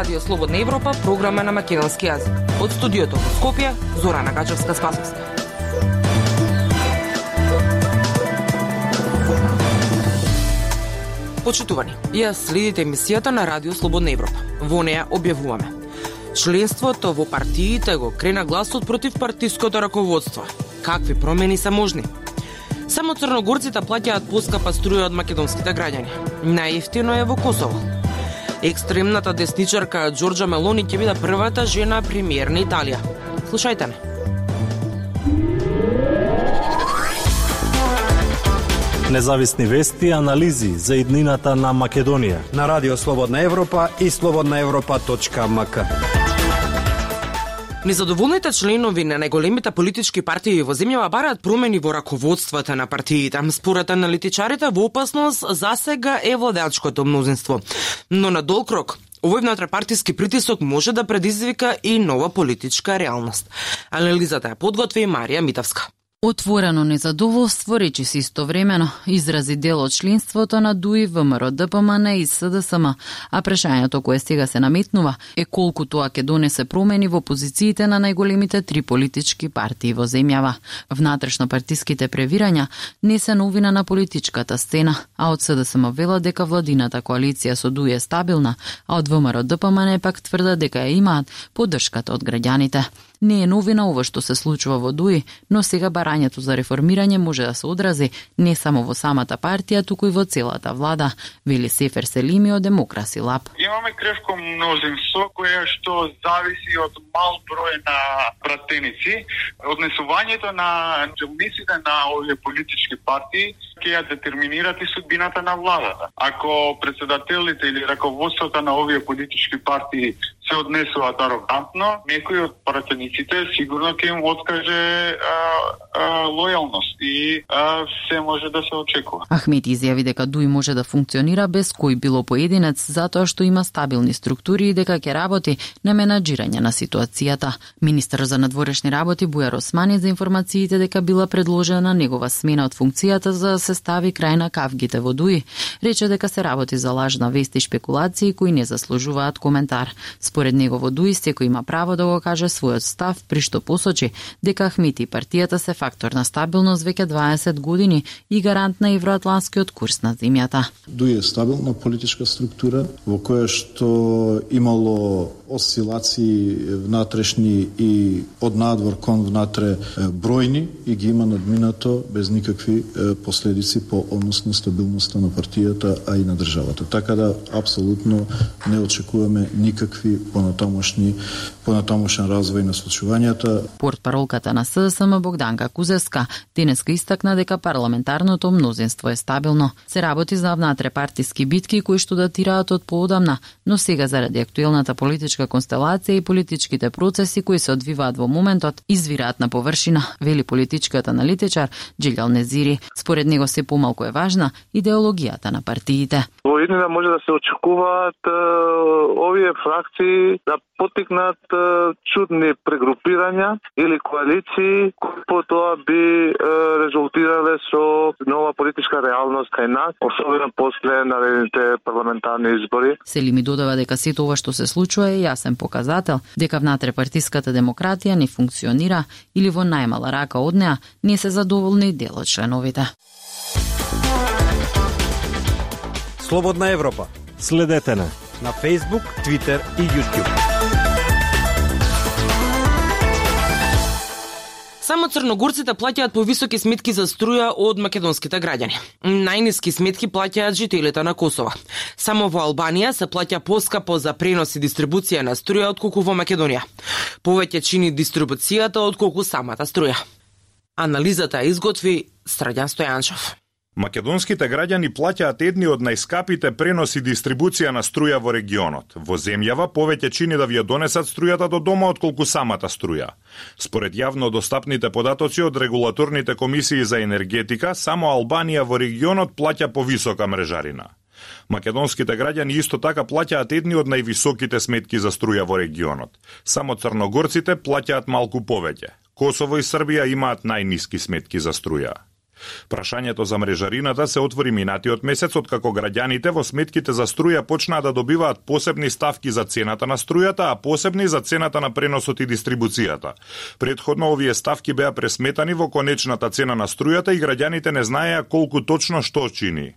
Радио Слободна Европа, програма на македонски јазик. Од студиото во Скопје, Зорана Гачевска-Спасовска. Почитувани, ја следите емисијата на Радио Слободна Европа. Во неја објавуваме: членството во партиите го крена гласот против партиското раководство. Какви промени се можни? Само црногорците плаќаат поскапа струја од македонските граѓани. Најевтино е во Косово. Екстремната десничарка Џорџа Мелони ќе биде првата жена премиер на Италија. Слушајте ме. Независни вести и анализи за иднината на Македонија на Радио Слободна Европа и slobodnaevropa.mk. Незадоволните членови на најголемите политички партии во земјава бараат промени во раководствата на партиите. Според аналитичарите, во опасност засега е владеачкото мнозинство. Но на долг рок, овој внатрепартиски притисок може да предизвика и нова политичка реалност. Анализата ја подготви Марија Митовска. Отворено незадоволство, речиси истовремено, изрази дел од членството на ДУИ, ВМРО, ДПМН и СДСМ, а прашањето кое сега се наметнува е колку тоа ќе донесе промени во позициите на најголемите три политички партии во земјава. Внатрешно-партиските превирања не се новина на политичката сцена, а од СДСМ вела дека владината коалиција со ДУИ е стабилна, а од ВМРО, ДПМН пак тврда дека ја имаат поддршката од граѓаните. Не е новина ова што се случува во ДУИ, но сега барањето за реформирање може да се одрази не само во самата партија, туку и во целата влада, вели Сефер Селими од Демокраси Лаб. Имаме кревко мнозинство кое што зависи од мал број на пратеници. Однесувањето на челниците на овие политички партии ќе ја детерминират и судбината на владата. Ако председателите или раководството на овие политички партии се однесуваат арогантно, некој од пратениците сигурно ќе им откаже лојалност и се може да се очекува. Ахмет изјави дека ДУИ може да функционира без кој било поединец затоа што има стабилни структури и дека ќе работи на менаџирање на ситуацијата. Министер за надворешни работи Бујар Османи за информациите дека била предложена негова смена од функцијата за да се стави крај на кавгите во ДУИ, рече дека се работи за лажна вест и шпекулации кои не заслужуваат коментар. Според него во ДУИ секој има право да го каже својот став, при што посочи дека Ахмет и партијата се фактор на стабилност веќе 20 години и гарант на евроатлантскиот курс на земјата. ДУИ е стабилна политичка структура во која што имало осцилации внатрешни и од надвор кон внатре бројни и ги има надминато без никакви последици по однос на стабилноста на партијата, а и на државата. Така да апсолутно не очекуваме никакви понатамошен развој на случувањата. Портпаролката на СДСМ Богданка Кузевска денеска истакна дека парламентарното мнозинство е стабилно. Се работи за внатрепартиски битки кои што датираат од поодамна, но сега заради актуелната политичка констелација и политичките процеси кои се одвиваат во моментот извираат на површина, вели политичкиот аналитичар Джилјал Незири. Според него се помалку е важна идеологијата на партиите. Во иднина може да се очекуваат овие фракции да потикнат чудни прегрупирања или коалиции кои потоа би резултирале со нова политичка реалност кај нас, особено после наредните парламентарни избори. Селими додава дека сето ова што се случува е јасен показател дека внатрепартиската демократија не функционира или во најмала рака од неа не се задоволни дел од членовите. Слободна Европа. Следете на Facebook, Twitter и YouTube. Само црногорците плаќаат повисоки сметки за струја од македонските граѓани. Најниски сметки плаќаат жителите на Косово. Само во Албанија се плаќа поскапо за пренос и дистрибуција на струја отколку во Македонија. Повеќе чини дистрибуцијата отколку самата струја. Анализата изготви Страѓан Стојанчев. Македонските граѓани плаќаат едни од најскапите пренос и дистрибуција на струја во регионот. Во земјава повеќе чини да ви ја донесат струјата до дома отколку самата струја. Според јавно достапните податоци од регулаторните комисии за енергетика, само Албанија во регионот плаќа повисока мрежарина. Македонските граѓани исто така плаќаат едни од највисоките сметки за струја во регионот. Само црногорците плаќаат малку повеќе. Косово и Србија имаат најниски сметки за струја. Прашањето за мрежарината се отвори минатиот месец, откако граѓаните во сметките за струја почнаа да добиваат посебни ставки за цената на струјата, а посебни за цената на преносот и дистрибуцијата. Предходно овие ставки беа пресметани во конечната цена на струјата и граѓаните не знаеа колку точно што чини.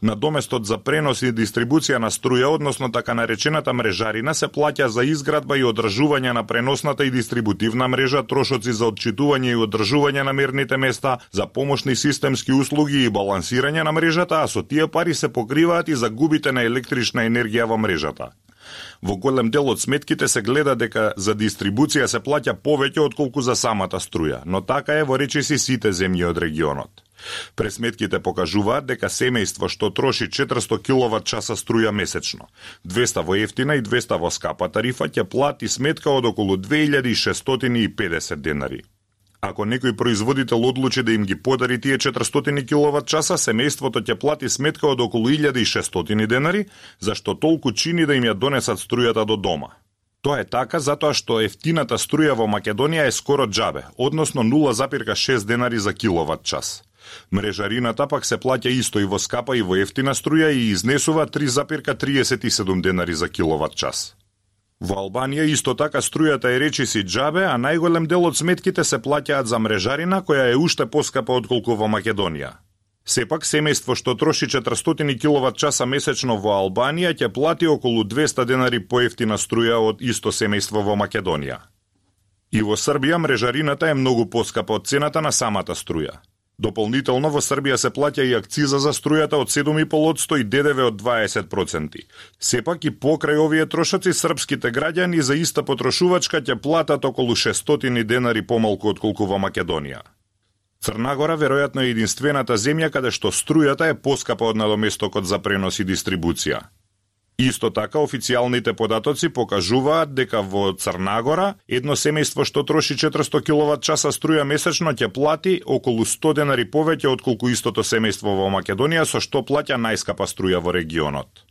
Надоместот за пренос и дистрибуција на струја, односно така наречената мрежарина, се плаќа за изградба и одржување на преносната и дистрибутивна мрежа, трошоци за отчитување и одржување на мерните места, за помошни системски услуги и балансирање на мрежата, а со тие пари се покриваат и загубите на електрична енергија во мрежата. Во голем дел од сметките се гледа дека за дистрибуција се плаќа повеќе отколку за самата струја, но така е во речиси сите земји од регионот. Пресметките покажуваат дека семејство што троши 400 киловат-часа струја месечно, 200 во ефтина и 200 во скапа тарифа, ќе плати сметка од околу 2650 денари. Ако некој производител одлучи да им ги подари тие 400 киловат-часа, семејството ќе плати сметка од околу 1600 денари, зашто толку чини да им ја донесат струјата до дома. Тоа е така затоа што ефтината струја во Македонија е скоро џабе, односно 0,6 денари за киловат-час. Мрежарината пак се плаќа исто и во скапа и во ефтина струја и изнесува 3,37 денари за киловат-час. Во Албанија исто така струјата е речиси џабе, а најголем дел од сметките се плаќаат за мрежарина, која е уште поскапа отколку во Македонија. Сепак, семејство што троши 400 киловат-часа месечно во Албанија ќе плати околу 200 денари поевтина струја од исто семејство во Македонија. И во Србија мрежарината е многу поскапа од цената на самата струја. Дополнително во Србија се плаќа и акциза за струјата од 7,5% и ДДВ од 20%. Сепак и покрај овие трошоци српските граѓани за иста потрошувачка ќе платат околу 600 денари помалку отколку во Македонија. Црна Гора веројатно е единствената земја каде што струјата е поскапа од надоместокот за пренос и дистрибуција. Исто така, официјалните податоци покажуваат дека во Црна Гора едно семејство што троши 400 киловат-часа струја месечно ќе плати околу 100 денари повеќе отколку истото семејство во Македонија, со што плаќа најскапа струја во регионот.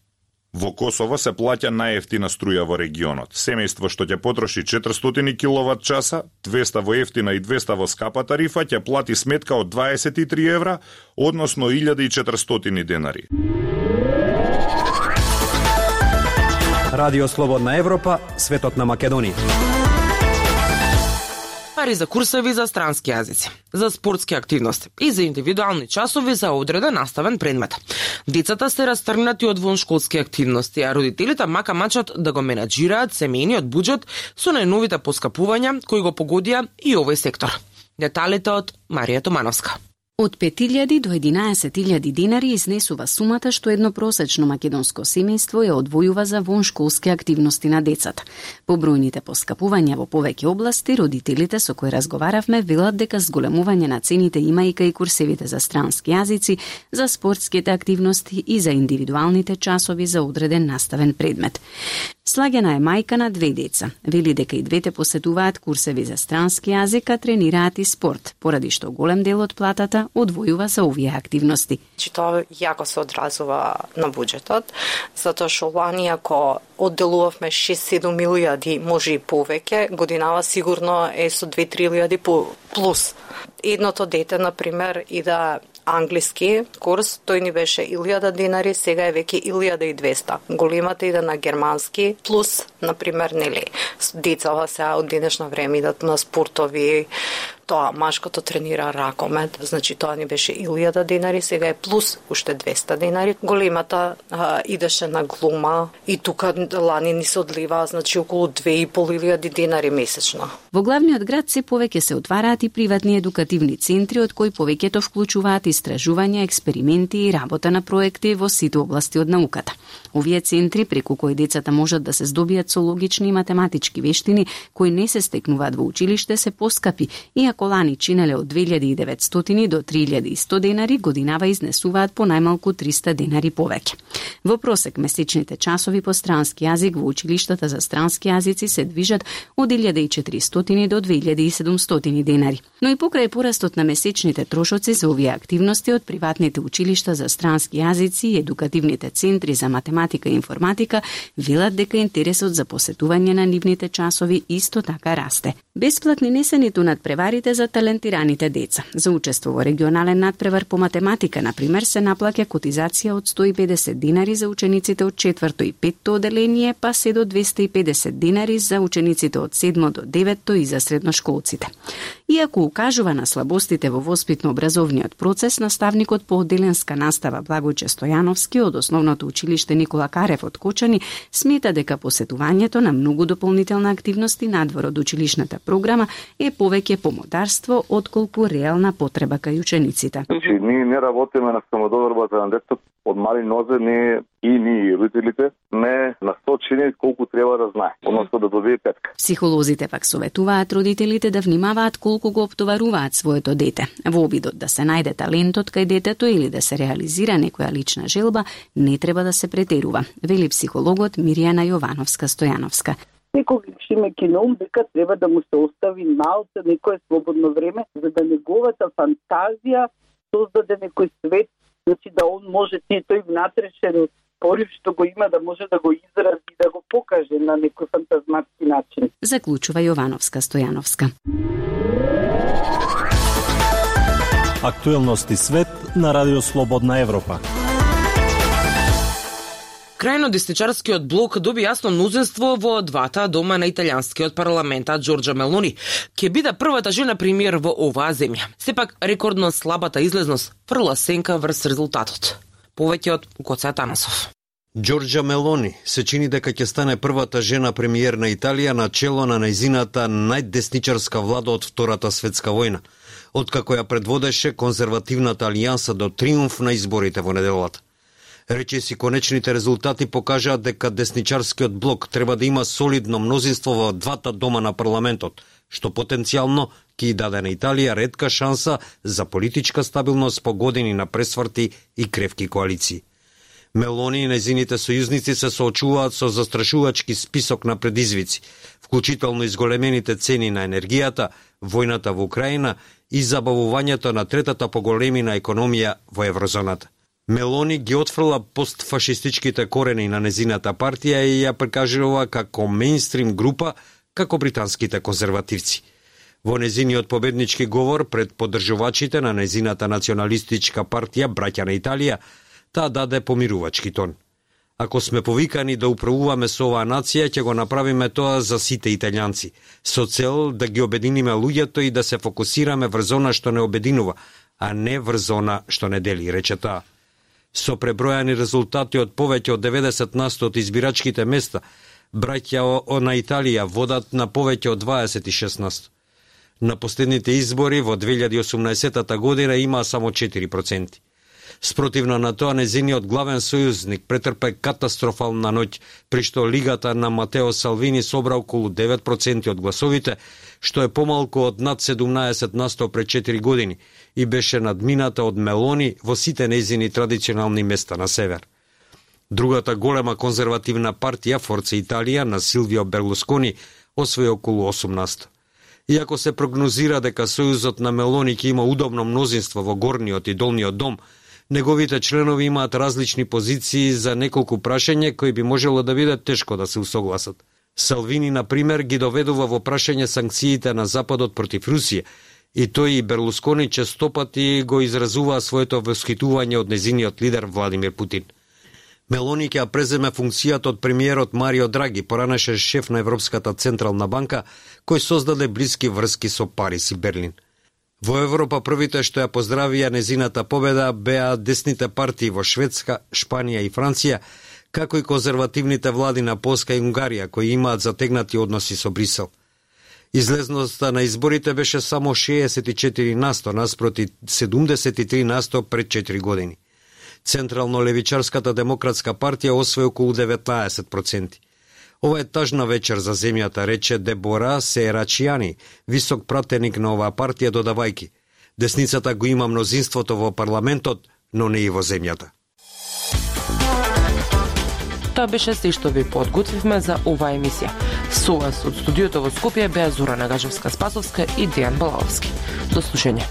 Во Косово се плаќа најефтина струја во регионот. Семејство што ќе потроши 400 киловат-часа, 200 во ефтина и 200 во скапа тарифа ќе плати сметка од 23 евра, односно 1400 денари. Радио Слободна Европа, светот на Македонија. Пари за курсеви за странски јазици, за спортски активности и за индивидуални часови за одреден наставен предмет. Децата се растргнати од воншколски активности, а родителите мака мачат да го менаџираат семејниот буџет со најновите поскапувања кои го погодија и овој сектор. Деталите од Марија Томановска. Од 5.000 до 11.000 денари изнесува сумата што едно просечно македонско семејство ја одвојува за воншколски активности на децата. По бројните поскапувања во повеќе области, родителите со кои разговаравме велат дека зголемување на цените имајка и курсевите за странски јазици, за спортските активности и за индивидуалните часови за одреден наставен предмет. Слагена е мајка на 2 деца. Вели дека и двете посетуваат курсеви за странски јазик, а тренираат и спорт, поради што голем дел од платата одвојува за овие активности. Тоа јако се одразува на буџетот, затоа што лани ако одделувавме 6-7 илјади, може и повеќе, годинава сигурно е со 2-3 илјади плюс. Едното дете, например, ида англиски курс, тој ни беше 1000 денари, сега е веќе 1200. Големата иде на германски, плюс, например, нели, децава сега од денешно време идат на спортови, тоа машкото тренира ракомет, значи тоа ни беше 1000 денари, сега е плюс уште 200 денари. Големата идеше на глума и тука лани ни се одлива, значи околу 2500 денари месечно. Во главниот град се повеќе се отвараат и приватни едукативни центри, од кои повеќето вклучуваат истражувања, експерименти и работа на проекти во сите области од науката. Овие центри, преку кои децата можат да се здобијат со логични и математички вештини, кои не се стекнуваат во училиште, се поскапи, иако лани чинеле од 2900 до 3100 денари, годинава изнесуваат по најмалку 300 денари повеќе. Во просек месечните часови по странски јазик во училиштата за странски јазици се движат од 1400 до 2700 денари. Но и покрај порастот на месечните трошоци за овие активности од приватните училишта за странски јазици и едукативните центри за математика математика и информатика велат дека интересот за посетување на нивните часови исто така расте. Бесплатни не се ниту надпреварите за талентираните деца. За учество во регионален надпревар по математика, например, се наплаќа котизација од 150 динари за учениците од 4-то и 5-то оделение, па се до 250 динари за учениците од 7 до 9-то и за средношколците. Иако укажува на слабостите во воспитно-образовниот процес, наставникот по одделенска настава Благојче Стојановски од Основното училиште Никола Карев од Кочани смета дека посетувањето на многу дополнителна активности надвор од училишната програма е повеќе помодарство отколку реална потреба кај учениците. Ние не работиме на самододорбата на детето од мали нозе, ние родителите не насочени колку треба да знае, односно да добие петка. Психолозите пак советуваат родителите да внимаваат колку го оптоваруваат своето дете. Во обидот да се најде талентот кај детето или да се реализира некоја лична желба, не треба да се претерува, вели психологот Миријана Јовановска-Стојановска. Секогаш имајќи на ум дека треба да му се остави малце некое слободно време, за да неговата фантазија создаде некој свет, значи да он може тој внатрешен порив што го има да може да го изрази и да го покаже на некој фантазматски начин. Заклучува Јовановска-Стојановска. Актуелности свет на Радио Слободна Европа. Крајно десничарскиот блок доби јасно мнозинство во двата дома на италијанскиот парламент, а Џорџа Мелони ќе биде првата жена премиер во оваа земја. Сепак рекордно слабата излезност фрла сенка врз резултатот. Повеќе од Гоце Атанасов. Џорџа Мелони се чини дека ќе стане првата жена премиер на Италија на чело на нејзината најдесничарска влада од Втората светска војна, откако ја предводеше конзервативната алијанса до триумф на изборите во неделата. Речиси конечните резултати покажаат дека десничарскиот блок треба да има солидно мнозинство во двата дома на парламентот, што потенцијално ќе даде на Италија ретка шанса за политичка стабилност по години на пресврти и кревки коалиции. Мелони и нејзините сојузници се соочуваат со застрашувачки список на предизвици, вклучително изголемените цени на енергијата, војната во Украина и забавувањето на третата поголемина економија во еврозоната. Мелони ги отфрла постфашистичките корени на незината партија и ја прикажува како мејнстрим група, како британските конзервативци. Во незиниот победнички говор пред поддржувачите на незината националистичка партија Браќа на Италија, таа даде помирувачки тон. Ако сме повикани да управуваме со оваа нација, ќе го направиме тоа за сите италијанци, со цел да ги обединиме луѓето и да се фокусираме врз она што не обединува, а не врз она што не дели, рече таа. Со пребројани резултати од повеќе од 90% од избирачките места, Браќа на Италија водат на повеќе од 26%. На последните избори во 2018 година има само 4%. Спротивно на тоа, незиниот главен сојузник претрпе катастрофална ноќ, при што лигата на Матео Салвини собра околу 9% од гласовите, што е помалку од над 17% пред 4 години и беше надмината од Мелони во сите незини традиционални места на север. Другата голема конзервативна партија, Форца Италија, на Силвио Берлускони, освои околу 8%. Иако се прогнозира дека сојузот на Мелони ќе има удобно мнозинство во горниот и долниот дом, неговите членови имаат различни позиции за неколку прашања кои би можело да биде тешко да се усогласат. Салвини, например, ги доведува во прашање санкциите на Западот против Русија, и тој и Берлускони честопати го изразуваа своето восхитување од незиниот лидер Владимир Путин. Мелони ќе преземе функцијата од премиерот Марио Драги, поранеше шеф на Европската централна банка, кој создаде блиски врски со Париз и Берлин. Во Европа првите што ја поздравија незината победа беа десните партии во Шведска, Шпанија и Франција, како и конзервативните влади на Полска и Унгарија, кои имаат затегнати односи со Брисел. Излезноста на изборите беше само 64% наспроти 73% пред 4 години. Централно-левичарската демократска партија освои околу 19%. Ова е тажна вечер за земјата, рече Дебора Серачијани, висок пратеник на оваа партија, додавајки: десницата го има мнозинството во парламентот, но не и во земјата. Тоа беше се што ви подготвивме за оваа емисија. Со вас од студиото во Скопје беа Зора Нагажевска-Спасовска и Дејан Балаовски. До слушање.